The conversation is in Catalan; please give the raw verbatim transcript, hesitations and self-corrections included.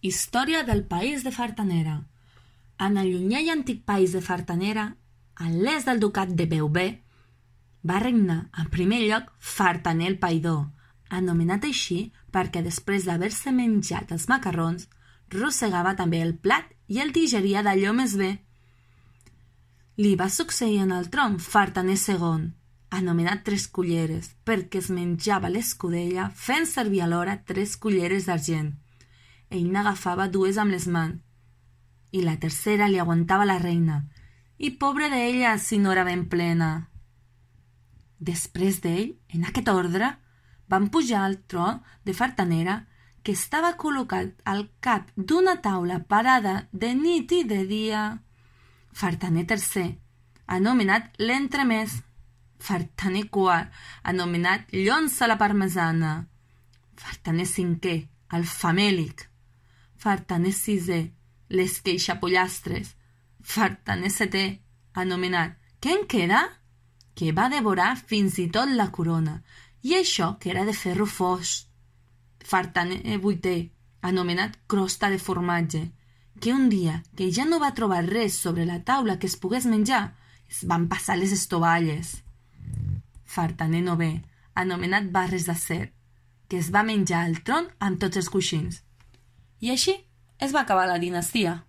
Història del país de Fartanera. En el llunyà i antic país de Fartanera, a l'est del ducat de Beauvais, va regnar en primer lloc Fartaner el Païdor, anomenat així perquè després d'haver-se menjat els macarrons, rossegava també el plat i el digeria d'allò més bé. Li va succeir en el tron Fartaner segon, anomenat Tres Culleres, perquè es menjava l'escudella fent servir alhora tres culleres d'argent. Ell n'agafava dues amb les mans, i la tercera li aguantava la reina, i pobre d'ella si no era ben plena. Després d'ell, en aquest ordre, van pujar al tron de Fartanera, que estava col·locat al cap d'una taula parada de nit i de dia. Fartaner tercer, anomenat l'entremès. Fartaner quart, anomenat llonza a la parmesana. Fartaner cinquè, el famèlic. Fartaner sisè, les queixapollastres. Fartaner setè, anomenat què en queda? Que va devorar fins i tot la corona, i això que era de ferro fos. Fartaner vuitè, anomenat crosta de formatge, que un dia que ja no va trobar res sobre la taula que es pogués menjar, es van passar les estovalles. Fartaner novè, anomenat barres d'acer, que es va menjar al tron amb tots els coixins. I així es va acabar la dinastia.